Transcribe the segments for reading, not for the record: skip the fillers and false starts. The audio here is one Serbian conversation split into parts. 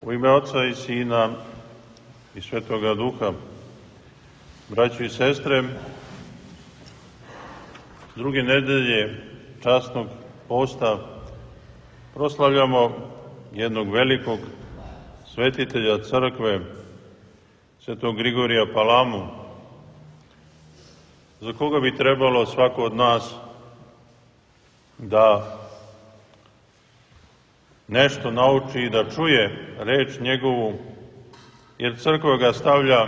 U ime Oca i Sina i Svetoga Duha, braćo i sestre, druge nedelje časnog posta proslavljamo jednog velikog svetitelja crkve, svetog Grigorija Palamu, za koga bi trebalo svako od nas da nešto nauči i da čuje reč njegovu, jer crkva ga stavlja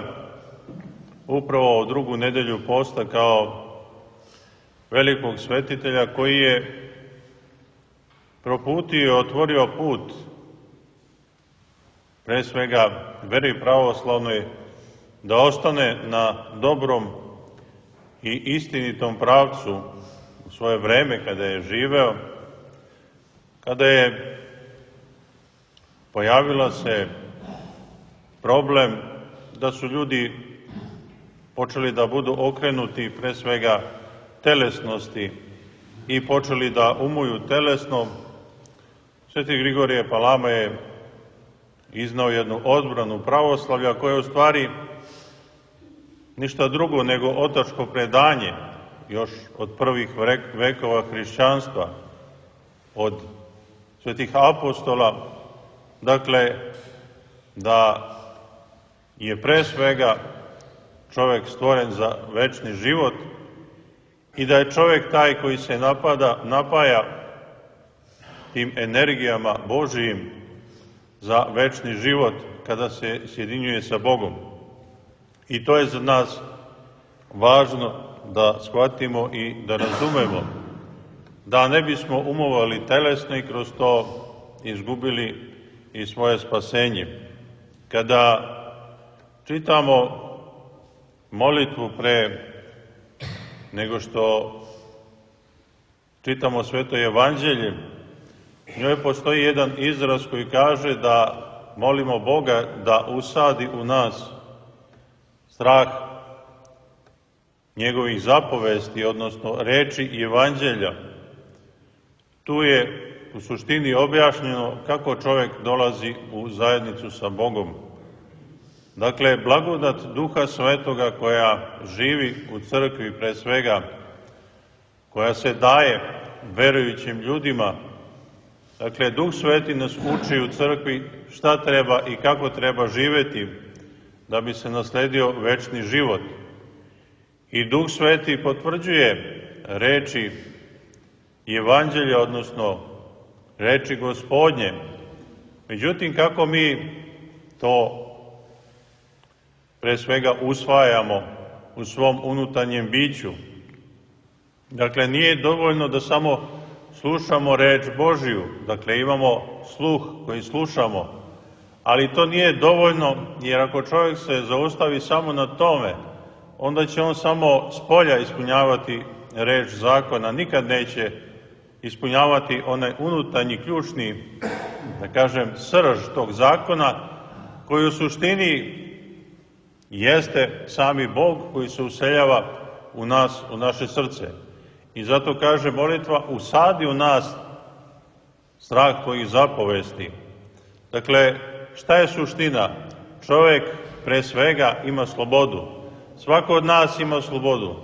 upravo u drugu nedelju posta kao velikog svetitelja koji je proputio i otvorio put pre svega veri pravoslavnoj da ostane na dobrom i istinitom pravcu u svoje vreme kada je živeo, kada je pojavila se problem da su ljudi počeli da budu okrenuti pre svega telesnosti i počeli da umuju telesno. Sveti Grigorije Palama je iznao jednu odbranu pravoslavlja koja je u stvari ništa drugo nego otačko predanje još od prvih vekova hrišćanstva, od svetih apostola. Dakle, da je pre svega čovek stvoren za večni život i da je čovek taj koji se napaja tim energijama Božijim za večni život kada se sjedinjuje sa Bogom. I to je za nas važno da shvatimo i da razumemo, da ne bismo umovali telesno i kroz to izgubili i svoje spasenje. Kada čitamo molitvu pre nego što čitamo Sveto Evanđelje, u njoj postoji jedan izraz koji kaže da molimo Boga da usadi u nas strah njegovih zapovesti, odnosno reči Evanđelja. Tu je u suštini objašnjeno kako čovek dolazi u zajednicu sa Bogom. Dakle, blagodat Duha Svetoga koja živi u crkvi pre svega, koja se daje verujućim ljudima. Dakle, Duh Sveti nas uči u crkvi šta treba i kako treba živeti da bi se nasledio večni život. I Duh Sveti potvrđuje reči Evanđelja, odnosno reči Gospodnje. Međutim, kako mi to pre svega usvajamo u svom unutarnjem biću? Dakle, nije dovoljno da samo slušamo reč Božiju, dakle imamo sluh koji slušamo, ali to nije dovoljno, jer ako čovjek se zaustavi samo na tome, onda će on samo spolja ispunjavati reč zakona, nikad neće ispunjavati onaj unutarnji, ključni, da kažem, srž tog zakona, koji u suštini jeste sami Bog koji se useljava u nas, u naše srce. I zato kaže molitva, usadi u nas strah tvojih zapovesti. Dakle, šta je suština? Čovjek pre svega ima slobodu. Svako od nas ima slobodu.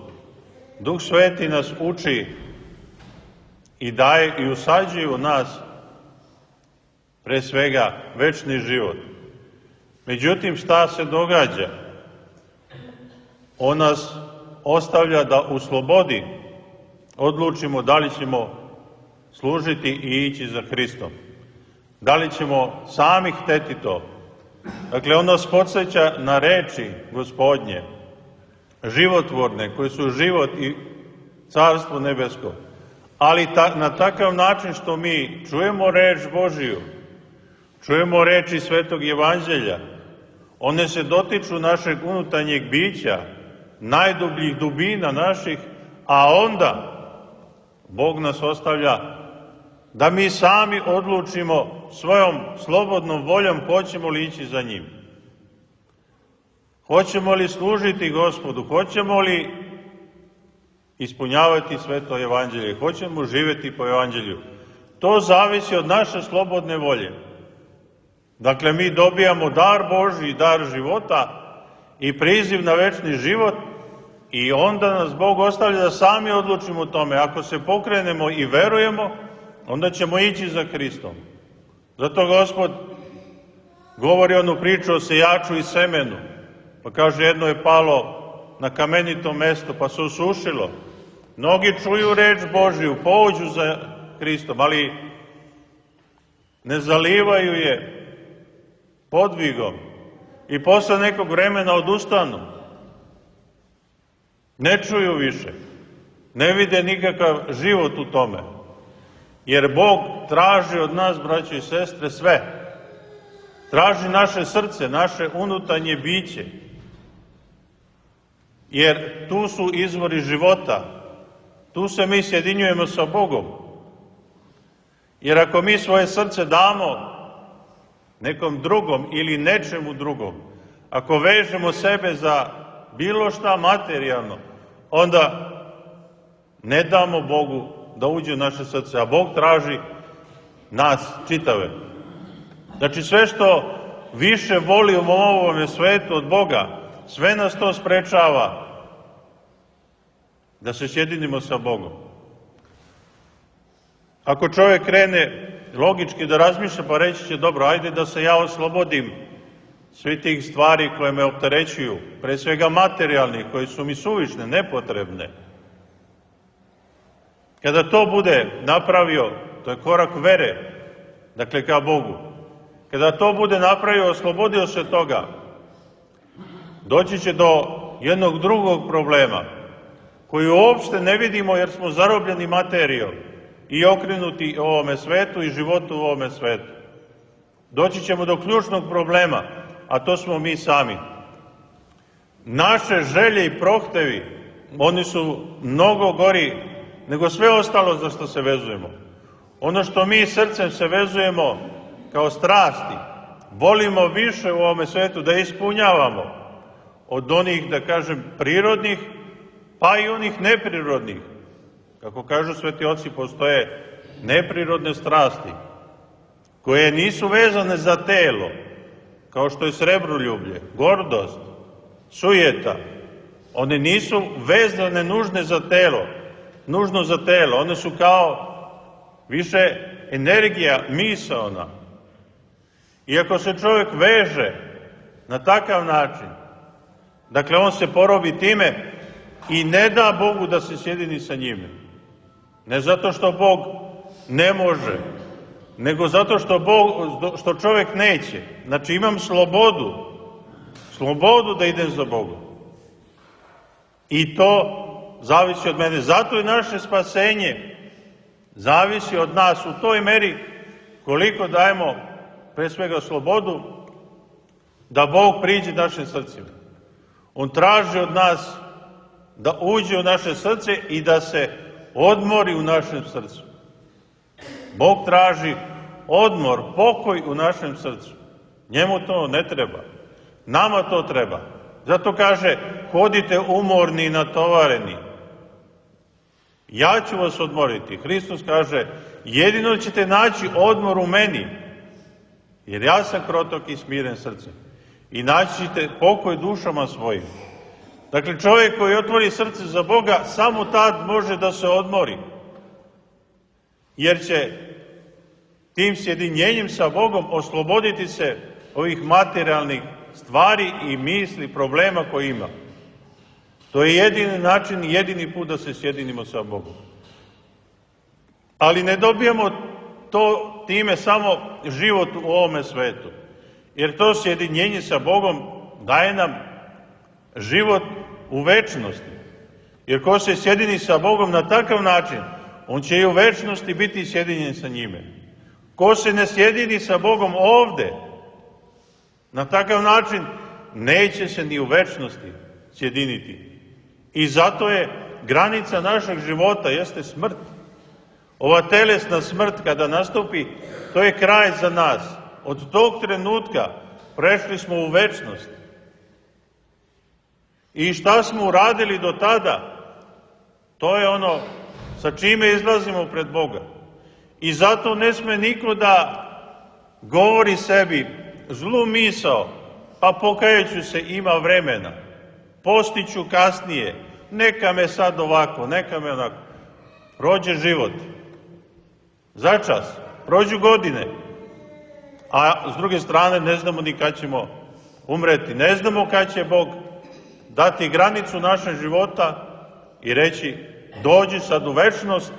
Duh Sveti nas uči i daje i usađuje u nas pre svega večni život. Međutim, šta se događa? On nas ostavlja da u slobodi odlučimo da li ćemo služiti i ići za Hristom. Da li ćemo sami hteti to? Dakle, on nas podsjeća na reči Gospodnje, životvorne, koje su život i carstvo nebesko. Ali na takav način što mi čujemo reč Božiju, čujemo reči Svetog Evanđelja, one se dotiču našeg unutarnjeg bića, najdubljih dubina naših, a onda Bog nas ostavlja da mi sami odlučimo svojom slobodnom voljom hoćemo li ići za njim. Hoćemo li služiti Gospodu, hoćemo li ispunjavati Sveto Evanđelje, hoćemo živjeti po Evanđelju. To zavisi od naše slobodne volje. Dakle, mi dobijamo dar Božji, dar života i priziv na večni život i onda nas Bog ostavlja da sami odlučimo o tome. Ako se pokrenemo i verujemo, onda ćemo ići za Hristom. Zato Gospod govori onu priču o sejaču i semenu. Pa kaže, jedno je palo na kamenito mesto, pa se osušilo. Mnogi čuju reč Božiju, pođu za Hristom, ali ne zalivaju je podvigom i posle nekog vremena odustanu. Ne čuju više, ne vide nikakav život u tome. Jer Bog traži od nas, braćo i sestre, sve. Traži naše srce, naše unutarnje biće. Jer tu su izvori života. Tu se mi sjedinjujemo sa Bogom. Jer ako mi svoje srce damo nekom drugom ili nečemu drugom, ako vežemo sebe za bilo šta materijalno, onda ne damo Bogu da uđe u naše srce, a Bog traži nas čitave. Znači sve što više volimo u ovome svetu od Boga, sve nas to sprečava da se sjedinimo sa Bogom. Ako čovjek krene logički da razmišlja, pa reći će, dobro, ajde da se ja oslobodim svi tih stvari koje me opterećuju, pre svega materijalnih, koje su mi suvišne, nepotrebne. Kada to bude napravio, to je korak vere, dakle ka Bogu. Kada to bude napravio, oslobodio se toga, doći će do jednog drugog problema, koji uopšte ne vidimo jer smo zarobljeni materijom i okrenuti ovome svetu i životu u ovome svetu. Doći ćemo do ključnog problema, a to smo mi sami. Naše želje i prohtevi, oni su mnogo gori nego sve ostalo za što se vezujemo. Ono što mi srcem se vezujemo kao strasti, volimo više u ovome svetu da ispunjavamo od onih, da kažem, prirodnih, pa i onih neprirodnih. Kako kažu sveti oci, postoje neprirodne strasti, koje nisu vezane za telo, kao što je srebroljublje, gordost, sujeta. One nisu vezane nužno za telo, one su kao više energija misaona. I ako se čovjek veže na takav način, dakle on se porobi time i ne da Bogu da se sjedini sa njime. Ne zato što Bog ne može, nego zato što čovjek neće. Znači imam slobodu da idem za Bogom. I to zavisi od mene. Zato i naše spasenje zavisi od nas u toj meri koliko dajemo pre svega slobodu da Bog priđe našim srcima. On traži od nas da uđe u naše srce i da se odmori u našem srcu. Bog traži odmor, pokoj u našem srcu. Njemu to ne treba. Nama to treba. Zato kaže, hodite umorni i natovareni. Ja ću vas odmoriti. Hristos kaže, jedino ćete naći odmor u meni, jer ja sam krotok i smiren srcem. I naći ćete pokoj dušama svojim. Dakle, čovjek koji otvori srce za Boga, samo tad može da se odmori. Jer će tim sjedinjenjem sa Bogom osloboditi se ovih materijalnih stvari i misli, problema koje ima. To je jedini način i jedini put da se sjedinimo sa Bogom. Ali ne dobijamo to time samo život u ovome svetu. Jer to sjedinjenje sa Bogom daje nam život u večnosti. Jer ko se sjedini sa Bogom na takav način, on će i u večnosti biti sjedinjen sa njime. Ko se ne sjedini sa Bogom ovde, na takav način neće se ni u večnosti sjediniti. I zato je granica našeg života, jeste smrt. Ova telesna smrt kada nastupi, to je kraj za nas. Od tog trenutka prešli smo u večnost. I šta smo uradili do tada, to je ono sa čime izlazimo pred Boga. I zato ne sme niko da govori sebi, zlu misao, pa pokajaću se, ima vremena, postiću kasnije, neka me sad ovako, neka me onako. Prođe život, začas, prođu godine, a s druge strane ne znamo ni kad ćemo umreti, ne znamo kad će Bog dati granicu našeg života i reći dođi sad u večnost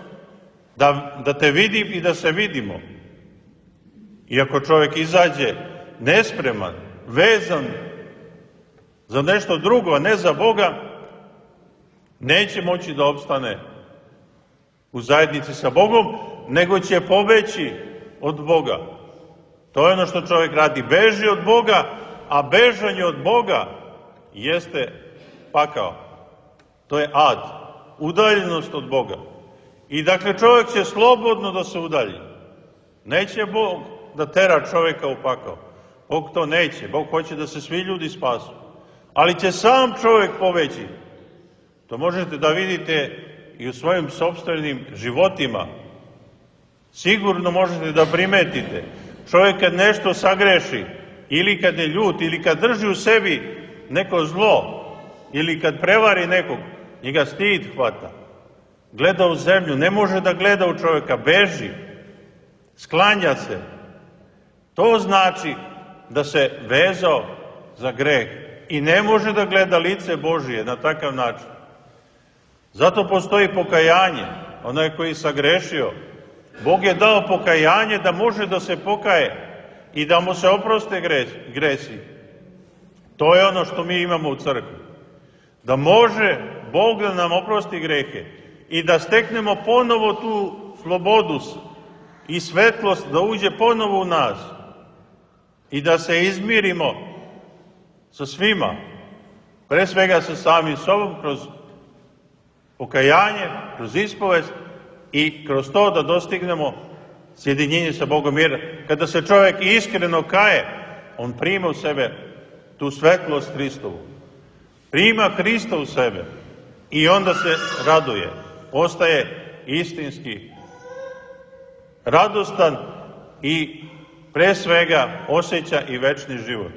da te vidim i da se vidimo. Iako čovjek izađe nespreman, vezan za nešto drugo, a ne za Boga, neće moći da opstane u zajednici sa Bogom, nego će pobeći od Boga. To je ono što čovjek radi, beži od Boga, a bežanje od Boga jeste pakao. To je ad, udaljenost od Boga. I dakle čovjek će slobodno da se udalji. Neće Bog da tera čovjeka u pakao. Bog to neće. Bog hoće da se svi ljudi spasu. Ali će sam čovjek pobeći. To možete da vidite i u svojim sopstvenim životima. Sigurno možete da primetite. Čovjek kad nešto sagreši, ili kad je ljut, ili kad drži u sebi neko zlo, ili kad prevari nekog, njega stid hvata. Gleda u zemlju, ne može da gleda u čovjeka, beži, sklanja se. To znači da se vezao za greh i ne može da gleda lice Božije na takav način. Zato postoji pokajanje, onaj koji je sagrešio. Bog je dao pokajanje da može da se pokaje i da mu se oproste gresi. To je ono što mi imamo u crkvi. Da može Bog da nam oprosti grehe i da steknemo ponovo tu slobodu i svetlost da uđe ponovo u nas i da se izmirimo sa svima, pre svega sa samim sobom, kroz pokajanje, kroz ispovest i kroz to da dostignemo sjedinjenje sa Bogom. Jer kada se čovjek iskreno kaje, on prima u sebe tu svetlost Hristovu. Prima Hrista u sebe i onda se raduje. Postaje istinski radostan i pre svega osjeća i večni život.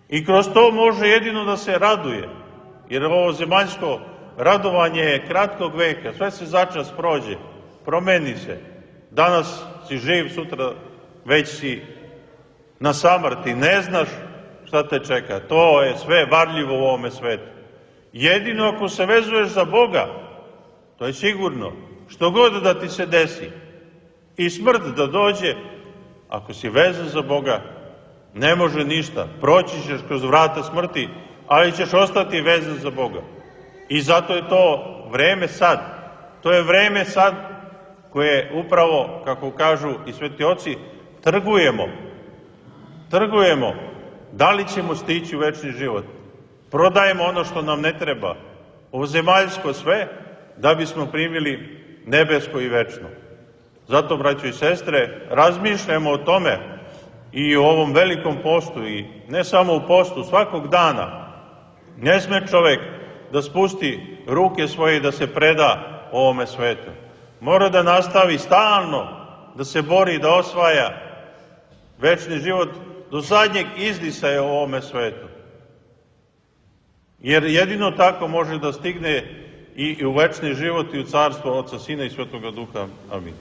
I kroz to može jedino da se raduje, jer ovo zemaljsko radovanje je kratkog veka, sve se začas prođe, promeni se. Danas si živ, sutra već si na samrti, ne znaš šta te čeka. To je sve varljivo u ovome svetu. Jedino ako se vezuješ za Boga, to je sigurno, što god da ti se desi, i smrt da dođe, ako si vezan za Boga, ne može ništa. Proći ćeš kroz vrata smrti, ali ćeš ostati vezan za Boga. I zato je to vreme sad. To je vreme sad koje upravo, kako kažu i sveti oci, trgujemo. Trgujemo. Da li ćemo stići u večni život? Prodajemo ono što nam ne treba. Ovozemaljsko sve, da bismo primili nebesko i večno. Zato, braćo i sestre, razmišljamo o tome i o ovom velikom postu, i ne samo u postu, svakog dana. Ne sme čovek da spusti ruke svoje i da se preda ovome svetu. Mora da nastavi stalno da se bori, da osvaja večni život do zadnjeg izdisaja u ovome svetu. Jer jedino tako može da stigne i u večni život i u carstvo Oca, Sina i Svetoga Duha. Amin.